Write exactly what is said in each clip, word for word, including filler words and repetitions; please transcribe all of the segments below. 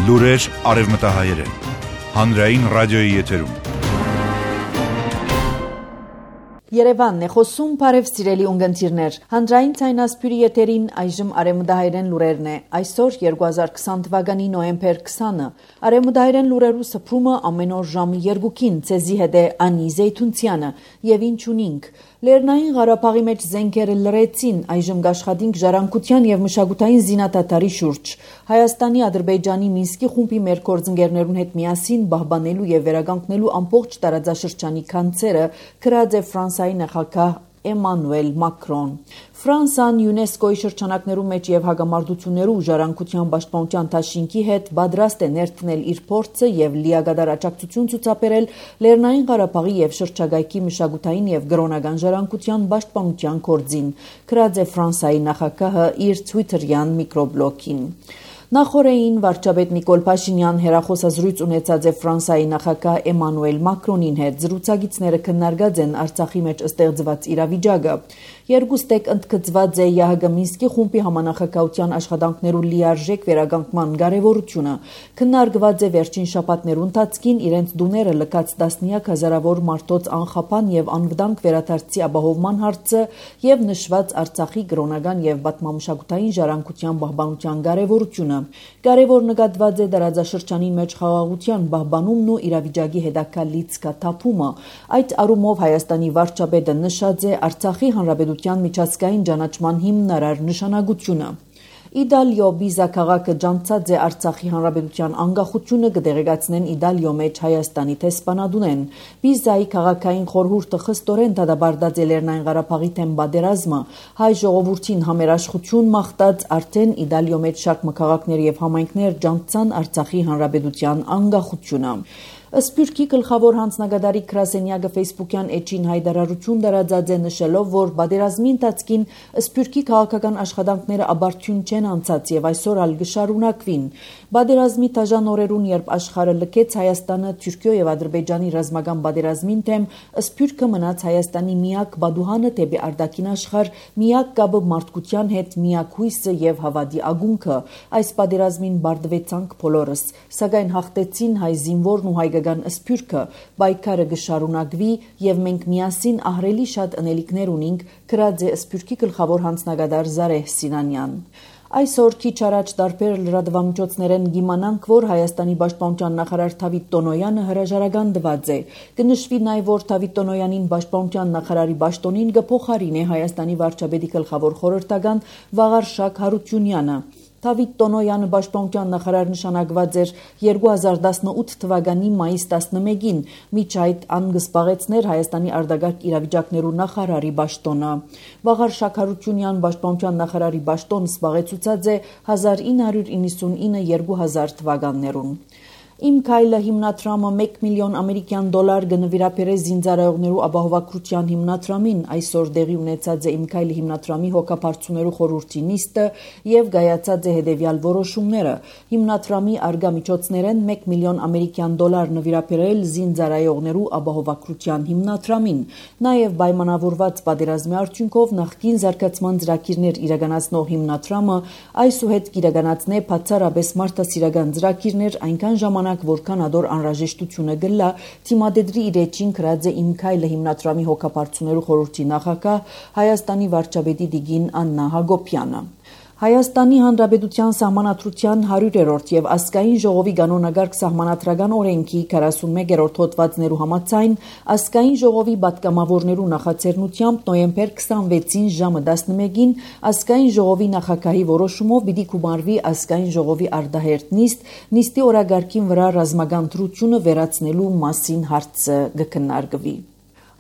Լուրեր արևմտահայերեն։ Հանրային ռադիոյի եթերում։ Երևանն է խոսում, բարև սիրելի ունգընտիրներ։ Հանրային ցայնասպյուրի եթերին այժմ արևմտահայերեն լուրերն է։ Այսօր երկու հազար քսան թվականի նոյեմբեր քսանը։ Արևմտահայերեն լուրերու սփռումը ամեն օր ժամը երկուքին ցեզի հետ է Անի Զեյթունցյանը եւ ինչ ունինք։ Լեռնային Ղարաբաղի մեջ զենքերը լրեցին, այժմ գաշխատինք ժառանգության եւ մշակութային զինադատարի շուրջ։ Հայաստանի, Ադրբեջանի, Մինսկի խումբի մեր գործընկերներուն հետ միասին պահպանելու եւ վերականգնելու ամբողջ տարածաշրջանի ցանցերը գրած է Ֆրանսիայի նախագահ Էմանուել Մակրոն։ Ֆրանսիան ՅՈՒՆԵՍԿՕ-ի շրջանակներու մեջ եւ հագամարտություններու ժառանգության պաշտպանության դաշինքի հետ պատրաստ է ներդնել իր փորձը եւ լիագադար աջակցություն ցուցաբերել Լեռնային Ղարաբաղի եւ շրջակայքի մշակութային եւ գրոնական ժառանգության պաշտպանության գործին, գրած է Ֆրանսիայի նախագահը իր Twitter-յան միկրոբլոգին։ Նախորդին վարչապետ Նիկոլ Փաշինյան հերախոսազրույց ունեցած է Ֆրանսիայի նախագահ Էմանուել Մակրոնին հետ։ Զրուցակիցները քննարկած են Արցախի մեջ ստեղծված իրավիճակը։ Երկուստեք ընդգծված է ԵԱՀԿ Մինսկի խումբի համանախագահության աշխատանքներու լիարժեք վերականգնման կարևորությունը։ Քննարկված է վերջին շաբաթներու ընթացքին իրենց դուները լքած տասնյակ հազարավոր մարդոց անխափան եւ անվտանգ վերադարձի ապահովման հարցը եւ նշված Արցախի գրոնական եւ պատմամշակութային ժառանգության պահպանության կարևորությունը։ Կարևոր նկատված է տարածաշրջանի մեջ խաղաղության պահպանումն ու իրավիճակի հետագա լիցքաթափումը։ Այդ առումով Հայաստանի վարչապետը նշած է Արցախի հանրապետության միջազգային ճանաչման հիմնարար նշանակությունը։ Իտալիո Բիզա քաղաքը ջանցած է Արցախի հանրապետության անկախությունը կդեղեկացնեն Իտալիո մեջ Հայաստանի տեսփանադունեն։ Բիզայի քաղաքային խորհուրդը խստորեն դադարեցած է Լեռնային Ղարաբաղի թեմ պատերազմը, հայ ժողովրդին համերաշխություն մաղթած արդեն Իտալիո մեջ շատ քաղաքներ եւ համայնքներ ջանցան Արցախի հանրապետության անկախությունը։ Սփյուռքի գլխավոր հանձնագետարի Գրասենյակը Facebook-յան էջին հայտարարություն տարածած է նշելով, որ պատերազմի ընթացքին Սփյուռքի քաղաքական աշխատանքները աբարթյուն չեն անցած եւ այսօր ալ կշարունակվին։ Պատերազմի դաժան օրերուն, երբ աշխարհը լքեց Հայաստանը Թուրքիո եւ Ադրբեջանի ռազմական պատերազմին թեմ, Սփյուռքը մնաց Հայաստանի միակ բադուհանը դեպի արտաքին աշխարհ, միակ կապը մարդկության հետ, միակ հույսը եւ հավատի ագունքը։ Այս պատերազմին բարդվեցանք բոլորս, սակայն հաղթեցին հայ զինվորն ու հայ Սփյուռքը, պայքարը կշարունակվի եւ մենք միասին ահռելի շատ ընելիքներ ունենք, գրած է Սփյուռքի գլխավոր հանձնագետար Զարեհ Սինանյան։ Այսօր քիչ առաջ տարբեր լրատվամիջոցներեն գիմանանք, որ Հայաստանի պաշտպանության նախարար Դավիթ Տոնոյանը հրաժարական տված է։ Կնշվի նաև, որ Դավիթ Տոնոյանին պաշտպանության նախարարի պաշտոնին կփոխարինի Հայաստանի վարչապետի գլխավոր խորհրդական Վաղարշակ Հարությունյանը։ Դավիթ Տոնոյանը պաշտպանության նախարար նշանակված էր երկու հազար տասնութ թվականի մայիս տասնմեկին, միջ այդ ան կզբաղեցներ Հայաստանի արտագաղթ իրավիճակներու նախարարի պաշտոնը։ Վաղարշակ Հարությունյան պաշտպանության նախարարի պաշտոն զբաղեցուցած է հազար ինը հարյուր իննսունինը երկու հազար թվականներուն։ Իմ քայլը հիմնադրամը մեկ միլիոն ամերիկյան դոլար կնվիրաբերե զինծառայողներու ապահովագրության հիմնադրամին, այսօր տեղի ունեցած է Իմ քայլը հիմնադրամի հոգապարծուներու խորհրդի նիստը եւ գայացած է հետեւյալ որոշումները։ Հիմնադրամի արգա միջոցներեն մեկ միլիոն ամերիկյան դոլար նվիրաբերել զինծառայողներու ապահովագրության հիմնադրամին, նաեւ պայմանավորված պատերազմի արդյունքով նախկին զարգացման ծրագիրներ իրականացնող հիմնադրամը այսուհետ կիրականացնե բացառապես մարդասիրական ծրագիրներ այնքան ժամանակ որքան ադոր անհրաժեշտությունը գլա, թիմադեդրի իր էջին գրած է Իմ քայլը հիմնադրամի հոգապարծուներու խորհրդի նախագահ Հայաստանի վարչապետի Տիգին Աննա Հակոբյանը։ Հայաստանի Հանրապետության Սահմանադրության հարյուրերորդ եւ ազգային ժողովի կանոնագարկ սահմանադրական օրենքի քառասունմեկերորդ հոդվածներու համաձայն ազգային ժողովի պատգամավորներու նախաձեռնությամբ նոյեմբեր քսանվեցին ժամը տասնմեկին ազգային ժողովի նախագահի որոշումով պիտի գումարվի ազգային ժողովի արտահերթ նիստ, նիստի օրագարկին վրա ռազմական դրությունը վերացնելու մասին հարցը կքննարկվի։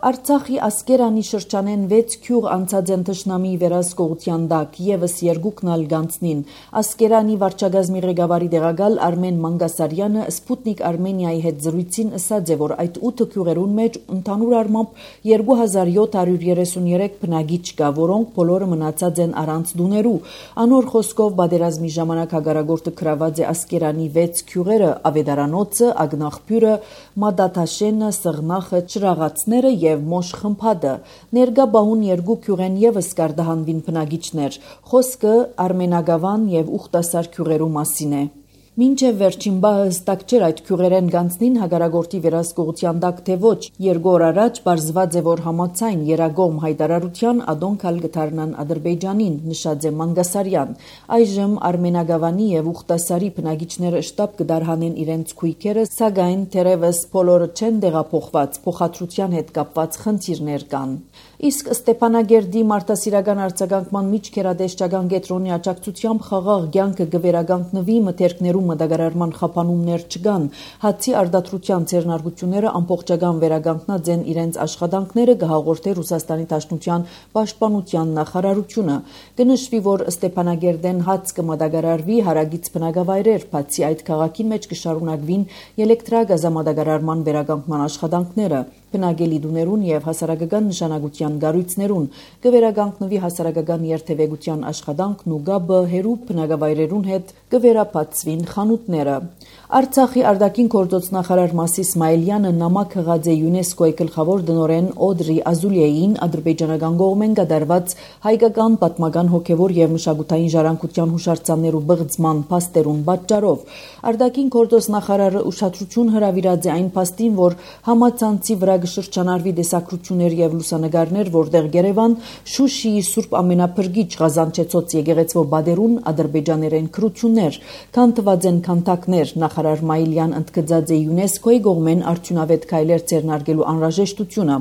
Արցախի Ասկերանի շրջանեն վեց քյուղ անցած են թշնամի վերահսկողության տակ, եւս երկուքն ալ գանցնին։ Ասկերանի վարչագազմի ղեկավարի տեղակալ Արմեն Մանգասարյանը Սպուտնիկ Արմենիայի հետ զրույցին ասաց է, որ այդ ութ քյուղերուն մեջ ընդհանուր առմամբ երկու հազար յոթ հարյուր երեսունյուրեք բնակիչ կա, որոնք բոլորը մնացած են առանց դուներու։ Անոր խոսքով պատերազմի ժամանակ հագարագործը գրաված է Ասկերանի վեց քյուղերը՝ Ավետարանոցը, Ագնախբյուրը, Մադաթաշենը, Սղնախը, Չրաղացները եւ Մոշ խմփադը։ Ներկա բահուն երկու քյուղեն եւս կարտահանվին բնակիչներ։ Խոսքը Արմենագավան եւ Ուխտասար քյուղերու մասին է։ Մինչև վերջին բահը հստակ չէր այդ քյուղերեն գանձնին հագարագործի վերահսկողության տակ թե ոչ, երկու օր առաջ պարզված է, որ համաձայն երագոմ հայտարարության ադոն քալ գթարնան Ադրբեջանին, նշած է Մանգասարյան։ Այժմ Արմենագավանի եւ Ուխտասարի բնակիչները շտապ կդարհանեն իրենց քույքերը, սակայն թերևս բոլորը չեն տեղափոխված, փոխադրության հետ կապված խնդիրներ կան։ Իսկ Ստեփանագերդի մարդասիրական արձագանքման միջքերադեշչական կենտրոնի աջակցությամբ խաղաղ կյանքը կվերականգնվի, մթերքներում մտագարարման խափանումներ չկան, հացի արտադրության ձեռնարկությունները ամբողջական վերականգնած են իրենց աշխատանքները, կհաղորդի Ռուսաստանի Դաշնության պաշտպանության նախարարությունը։ Կնշվի, որ Ստեփանագերդեն հաց կմտագարարվի հարագից բնակավայրեր, բացի այդ քաղաքի մեջ կշարունակվին էլեկտրագազամատագարարման վերականգնման աշխատանքները։ Բնակելի դուներուն եւ հասարակական նշանակության գառույցներուն կվերականգնվի հասարակական երթևեկության աշխատանքն ու գաբը հերու բնակավայրերուն հետ կվերապացվին խանութները։ Արցախի արտաքին գործոց նախարար Մասիս Իսմայելյանը նամակ հղած է ՅՈՒՆԵՍԿՕ-ի գլխավոր դնորեն Օդրի Ազուլիեին ադրբեջանական կողմեն կատարված հայկական պատմական հոգևոր եւ մշակութային ժառանգության հուշարձաններու բղձման փաստերուն պատճառով։ Արտաքին գործոց նախարարը ուշադրություն հրավիրած է այն փաստին, որ համացանցի վրա կշրջանարվի տեսակրություններ եւ լուսանկարներ, որտեղ Երևան Շուշիի Սուրբ Ամենափրկիչ Ղազանչեցոց եկեղեցվո բادرուն ադրբեջաներեն քրություններ, քանթված են քանթակներ, նախարար Մայիլյան ընդգծած է ՅՈՒՆԵՍԿՕ-ի կողմեն արդյունավետ քայլեր ձեռնարկելու անհրաժեշտությունը,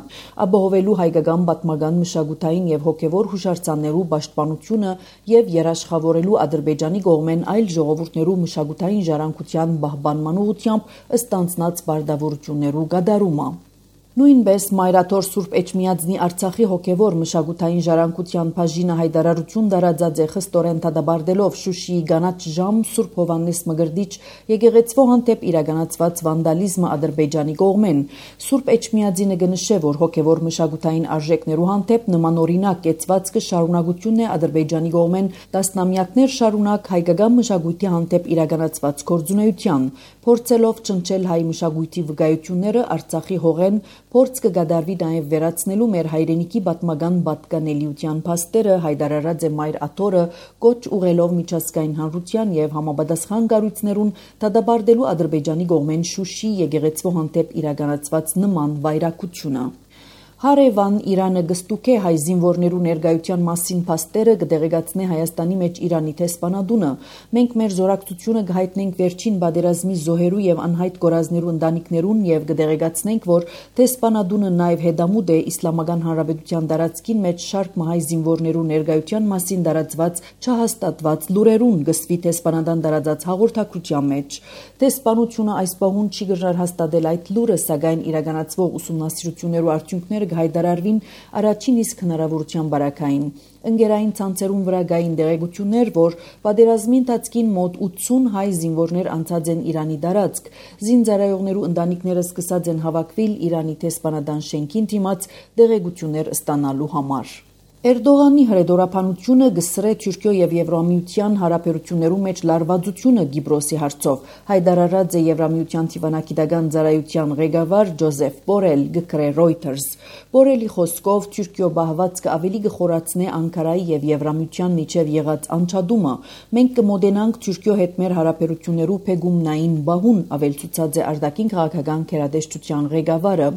ապահովելու հայկական պատմական մշակութային եւ հոգեվոր հուշարձաններու պաշտպանությունը եւ երաշխավորելու Ադրբեջանի կողմեն այլ ժողովուրդներու մշակութային ժառանգության պահպանման ուղղությամբ ստանձնած բարդավորություններու կատարումը։ Նույնպես Մայրաթոր Սուրբ Էջմիածնի Արցախի հոգևոր մշակութային ժառանգության բաժինը հայտարարություն տարածած է խստորեն դադարելով Շուշիի Գանաչ ժամ Սուրբ Հովհաննես Մկրտիչ եկեղեցվո հանդեպ իրականացված վանդալիզմը Ադրբեջանի կողմեն։ Սուրբ Էջմիածինը կնշե, որ հոգևոր մշակութային արժեքներու հանդեպ նմանօրինակ կեցվածքը շարունակությունն է Ադրբեջանի կողմեն տասնամյակներ շարունակ հայկական մշակույթի հանդեպ իրականացված գործունեության, փորձելով ճնշել հայ մշակույթի վկայությունները Արցախի հողեն Փորձ կգադարվի նաև վերացնելու մեր հայրենիքի պատմական պատկանելիության փաստերը, հայտարարած է Մայր Աթորը, կոչ ուղղելով միջազգային հանրության եւ համապատասխան կառույցներուն դադարելու Ադրբեջանի կողմեն Շուշի եկեղեցվո հանդեպ իրականացված նման վայրակությունը։ Հարևան Իրանը գստուկե հայ զինվորներու ներկայության մասին փաստերը կդեղեկացնե Հայաստանի մեջ Իրանի տեսփանադունը։ Մենք մեր զորակցությունը կհայտնենք վերջին բادرազմի զոհերու եւ անհայտ գորազներու ընտանիքներուն եւ կդեղեկացնենք, որ տեսփանադունը նաեւ հետամուտ է Իսլամական Հանրապետության տարածքին մեջ շարք հայ զինվորներու ներկայության մասին տարածված չհաստատված լուրերուն գսվի տեսփանադան տարածած հաղորդակցության մեջ։ Տեսփանությունը այս պահուն չի գժար հաստատել այդ լուրը, սակայն իրականացվող ուսումնասիրություններու արդյունքները հայտարարվին առաջին իսկ հնարավորության բարակային։ Ընկերային ցանցերուն վրա գային դեղեցություններ, որ պատերազմի ընթացքին մոտ ութսուն հայ զինվորներ անցած են Իրանի տարածք։ Զինծառայողներու ընտանիքները սկսած են հավաքվել Իրանի տեսփանադան շենքին դիմաց դեղեցություններ ստանալու համար։ Էրդողանի հրեդորապանությունը գսրե Թուրքիո եւ Եվրամիության հարաբերություններու մեջ լարվածությունը Գիբրոսի հարցով, հայտարարած է Եվրամիության դիվանագիտական ծառայության ղեկավար Ջոզեֆ Բորել գկրե Reuters։ Բորելի խոսքով Թուրքիո բահվածքը ավելի կխորացնե Անկարայի եւ Եվրամիության միջև եղած անջատումը։ Մենք կմոդենանք Թուրքիո հետ մեր հարաբերություններու փեգումնային բահուն, ավելցուցած է արտաքին քաղաքական քերադեշտության ղեկավարը։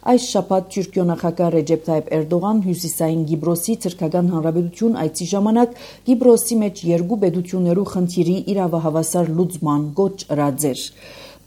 Այս շաբաթ Թուրքիո նախագահ Ռեջեփ Թայիփ Էրդողան հյուսիսային Գիբրոսի ցրկական հանրապետություն այցի ժամանակ Գիբրոսի մեջ երկու պետություններու խնդիրի իրավահավասար լուծման գոչ ըրած էր։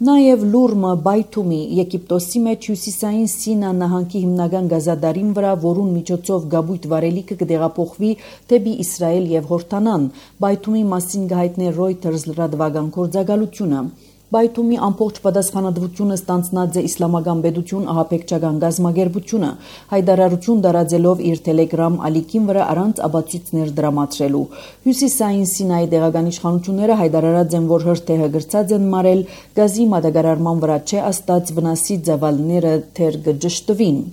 Նաև Լուրմը Բայթումի Եգիպտոսի մեջ հյուսիսային Սինա նահանգի հիմնական գազադարին վրա, որուն միջոցով գաբույթ վարելիքը կդեղափոխվի դեպի Իսրայել եւ Հորդանան, Բայթումի մասին կհայտնի Reuters լրատվական գործակալությունը։ Բայթումի ամբողջ պատասխանատվությունը ստանձնած է Իսլամական պետություն ահաբեկչական գազམ་ագերբությունը, հայտարարություն տարածելով իր Telegram ալիքին վրա առանց աբացույցներ դրամատրելու։ Հյուսիսային Սինայի տեղական իշխանությունները հայտարարած են, որ հրթեհը գրծած են մարել, գազի մատակարարման վրա չէ աստած վնասի ծավալները թեր կջշտվին։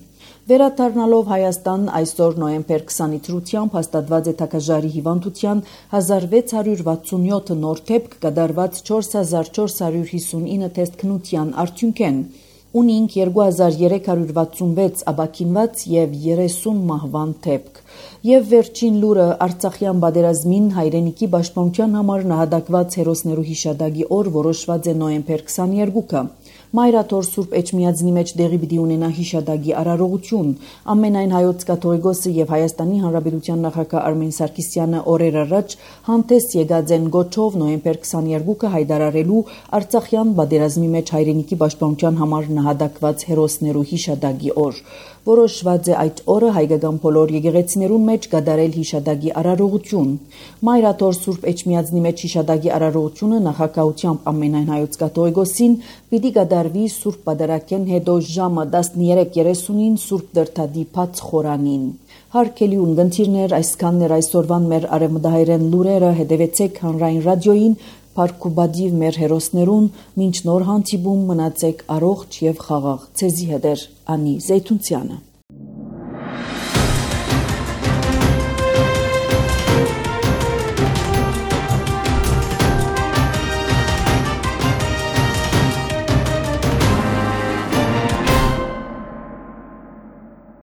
Վերադառնալով Հայաստան այսօր նոյեմբեր քսանի թրությամբ հաստատված է թագաժարի հիվանդության հազար վեց հարյուր վաթսունյոթ նոր դեպք կատարված չորս հազար չորս հարյուր հիսունինը տեստ քնության արդյունքեն։ ունինք երկու հազար երեք հարյուր վաթսունվեց աբաքինված եւ երեսուն մահվան դեպք։ Եվ վերջին լուրը Արցախյան պատերազմին հայրենիքի պաշտպանության համար նահատակված հերոսներու հիշադակի օր որոշված է նոյեմբեր քսաներկուը։ Մայրաթոր Սուրբ Էջմիածնի մեջ դեղի պիտի ունենա հիշադակի արարողություն։ Ամենայն հայոց կաթողիկոսը եւ Հայաստանի Հանրապետության նախագահ Արմեն Սարգսյանը օրեր առաջ հանդես եկած են գոչով նոյեմբեր քսաներկուը հայտարարելու Արցախյան պատերազմի մեջ հայրենիքի պաշտպանության համար նահատակված հերոսներու հիշադակի օր։ Որոշված է այդ օրը հայկական բոլոր եկեղեցիներուն մեջ կատարել հիշադակի արարողություն։ Մայրաթոր Սուրբ Էջմիածնի մեջ հիշադակի արարողությունը նախագահությամբ ամենայն հայոց կաթողիկոսին պիտի կատարվի Սուրբ Պատարագեն հետո ժամը տասներեք երեսունին Սուրբ Դրդադի բաց խորանին։ Հարգելի ունգընտիրներ, այսքանն էր այսօրվան մեր արևմտահայերեն լուրերը, հետևեցեք հանրային ռադիոյին, Փարքուբադիվ մեր հերոսներուն, մինչ նոր հանդիպում մնացեք առողջ եւ խաղաղ։ Ցեզի հետ էր Անի Զեյթունցյանը։